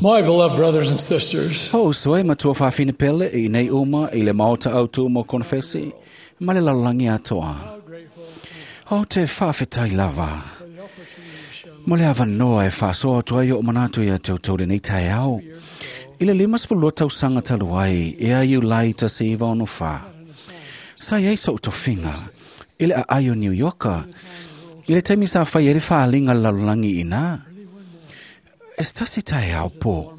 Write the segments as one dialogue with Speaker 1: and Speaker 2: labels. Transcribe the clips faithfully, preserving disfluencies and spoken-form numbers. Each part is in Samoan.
Speaker 1: My beloved brothers and sisters,
Speaker 2: Ho soe matua whawhine pele i nei uma i le maota au tū mo konfesi, ma le lalolangi atoa.
Speaker 1: how grateful
Speaker 2: Ho te whawhetai lava.
Speaker 1: for the opportunity to share
Speaker 2: Mo le awanoa e whasoa tua i o manatu ia tau tau le nei tai au. I le limas fulua tau sanga taluai, e a iu lai ta se iwa ono wha. Sa iei so tofinga, i le a aio New Yorka, i le taimi sa whai e le whaalinga lalolangi ina. E stasi tai au po.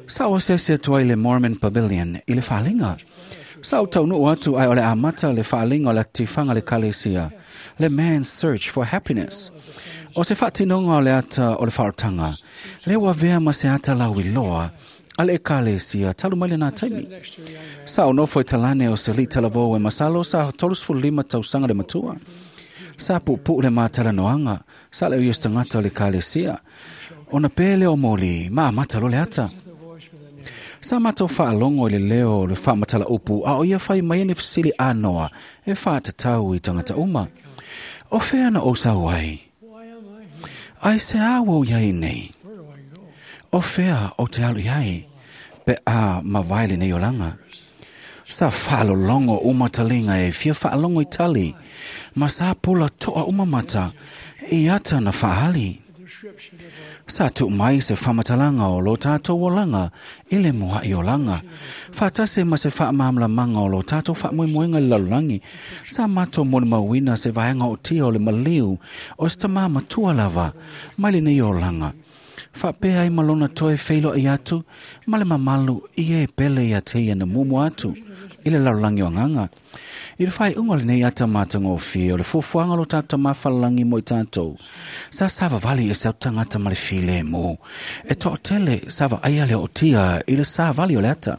Speaker 2: Sa o se se tua i le Mormon Pavilion i le whaalinga. Sa o tau nuu atu ai o le amata le whaalinga o le tifanga le kalesia, le Man's Search for Happiness. O se whaatinonga o le ata o le whaotanga, le wavea ma se ata lau iloa, a le kalesia talu mai le nā taimi.
Speaker 1: next to a young man.
Speaker 2: Sa o nofo i talane o se li talavou e masalo sa tolus lima tausaga le matua. Sa pupu le mātala noanga, sa le uios tangata o le kalesia. Ona pele o moli, ma amata lo le ata.
Speaker 1: The voice for the name.
Speaker 2: Sa matou whaalongo i le leo le whaamatala upu, a o ia whai mai ane fisili anoa, e whaatatau i tangata uma. O whea na o sau ai?
Speaker 1: Why am I here?
Speaker 2: Ai se awo iai nei.
Speaker 1: Where do I go?
Speaker 2: O whea o te alu iai, pe a mawaile nei olanga. Sa whaalolongo uma talinga e fia whaalongo i tali, ma sa pula toa uma mata, i ata na whaali.
Speaker 1: The description of our
Speaker 2: Sa tu mai se whamatalanga o lo tātou olanga, i le mua i olanga. Whātase ma se whaamamlamanga o lo tātou whaamoemoenga i lalolagi. Sa mātou moni mauina se vaenga o tia o le maliu, o se tamā matua lava, mai le nei olanga. Whaapea ai malona toe wheilo i atu, ma le mamalu i e pele i a te ia na mumu atu, i le lalolagi o nganga. I le whai unga le nei ata mātanga o whia, o le fuafuanga lo tātou mawhalangi mo i tātou. Sa sava vali e sau tangata ma le file mo. E to tele sava aia le o tia i le sa vali o le ata.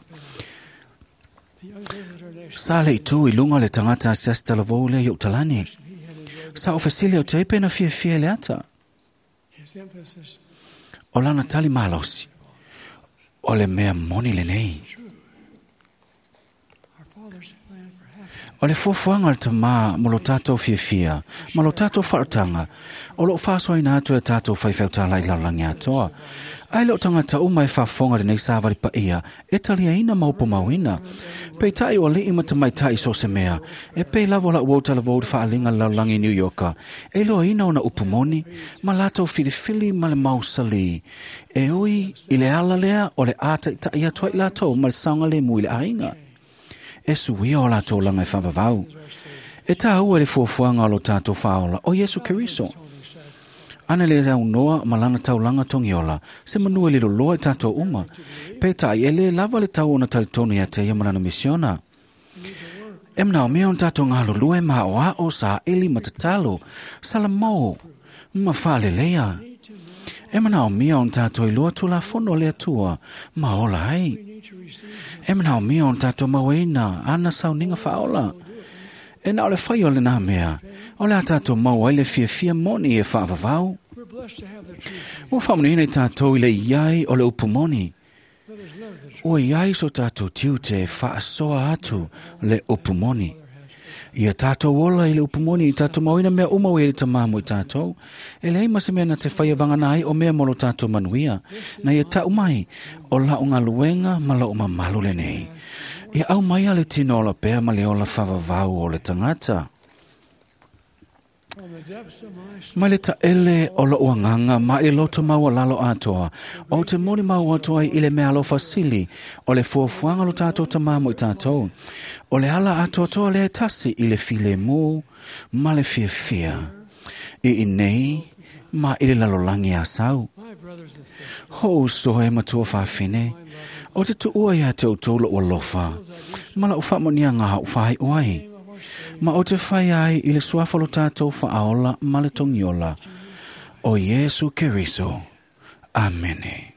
Speaker 1: the young visitor next
Speaker 2: Sa le i tū i lunga le tangata se asta lavou le i o talani.
Speaker 1: he had enjoyed
Speaker 2: Sa o fesili o te pena fia fia le ata.
Speaker 1: his emphasis
Speaker 2: O lana tali malosi. O le mea moni le nei.
Speaker 1: true. Our Father's plan for happiness
Speaker 2: O le fuafuaga o le tamā mo lo tātou fiafia, ma lo tātou whaotanga, o lo whaasoaina atu e tātou whaiwheutala i lalolagi atoa. Ai leo tangata uma e whaafonga le nei sāvali paia, e taliaina maupo mauina. Pei tai o alii ma tamaitai so se mea, e pei lava o lau uau talavou le faalinga le lalolagi i New Yorka, e loaina ona upu moni, ma latou filifili ma le mausali. E ui i le ala lea o le ātaitai atu ai latou ma le saogalemu i le aiga. E suia o latou langa e whavavau. E tā ua le fuafuaga o lo tātou whaola o Yesu Keriso.
Speaker 1: only said
Speaker 2: Ana le au noa ma lana taulanga tongiola, se manua le loloa i tātou uma. Pe tai e le lava le tau ona talitonu ia te ia malana misiona. E mnao mea on tātou ngā lulue ma o a o sa eli matatalo, salamau, ma whaalelea. E manao mea on tātou i lua tula fono le atua, ma ola ai.
Speaker 1: we need to receive
Speaker 2: E manao mea on tātou maueina, ana sauninga whaola. E na o le whai o le nā mea, o le a tātou mau ai le fiafia moni e whaavavau.
Speaker 1: We're blessed to have the truth.
Speaker 2: Ua whaamanuina i tātou i le iai o le upu moni.
Speaker 1: Let us live the truth.
Speaker 2: Ua iai so tātou tiu te whaasoa atu le upu moni. Ia tātou ola i le upu moni i tātou mauina mea uma o i le tamā mo i tātou. E lei ma se mea na te whai wangana ai o mea mo lo tātou manuia. Na ia tau mai o lau ngā luenga ma lau mamalu le nei. Ia au mai a le tino ola pea ma le ola whavavau o le tangata.
Speaker 1: From the depths of my soul,
Speaker 2: Mai le taele o lo uanganga ma i loto maua lalo atoa. O te moni mau atoa i le mea alofa sili. O le fuafuaga lo tātou tamā mo i tātou. O le ala atoatoa le tasi i le file mū ma le fiafia. I i nei ma i le lalolangi a sau.
Speaker 1: my brothers and sisters,
Speaker 2: Ho soe matua whawhine. O te tuua ia te o lo alofa. Ma lau whamonia ngā hau whai oai.
Speaker 1: name of our Savior,
Speaker 2: Ma o te whai ai i le suafa lo tātou whaaola ma le tongiola. O Yesu Keriso. Amene.